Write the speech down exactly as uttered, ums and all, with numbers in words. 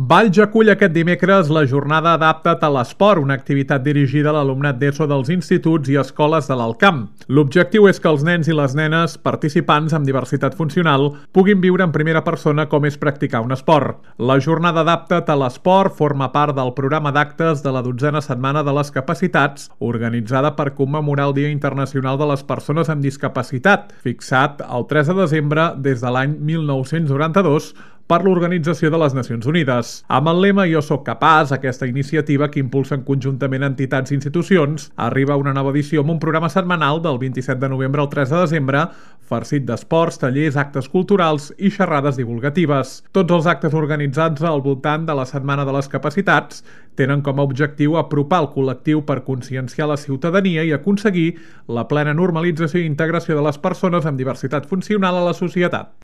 Valls acull aquest dimecres la jornada Adapta't a l'esport, una activitat dirigida a l'alumnat d'ESO dels instituts i escoles de l'Alt Camp. L'objectiu és que els nens i les nenes participants amb diversitat funcional puguin viure en primera persona com és practicar un esport. La jornada Adapta't a l'esport forma part del programa d'actes de la dotzena setmana de les capacitats, organitzada per commemorar el Dia Internacional de les Persones amb Discapacitat, fixat el tres de desembre des de l'any mil nou-cents noranta-dos per l'Organització de les Nacions Unides. Amb el lema Jo soc capaç, aquesta iniciativa que impulsen conjuntament entitats i institucions, arriba una nova edició amb un programa setmanal del vint-i-set de novembre al tres de desembre, farcit d'esports, tallers, actes culturals i xerrades divulgatives. Tots els actes organitzats al voltant de la Setmana de les Capacitats tenen com a objectiu apropar el col·lectiu per conscienciar la ciutadania i aconseguir la plena normalització i integració de les persones amb diversitat funcional a la societat.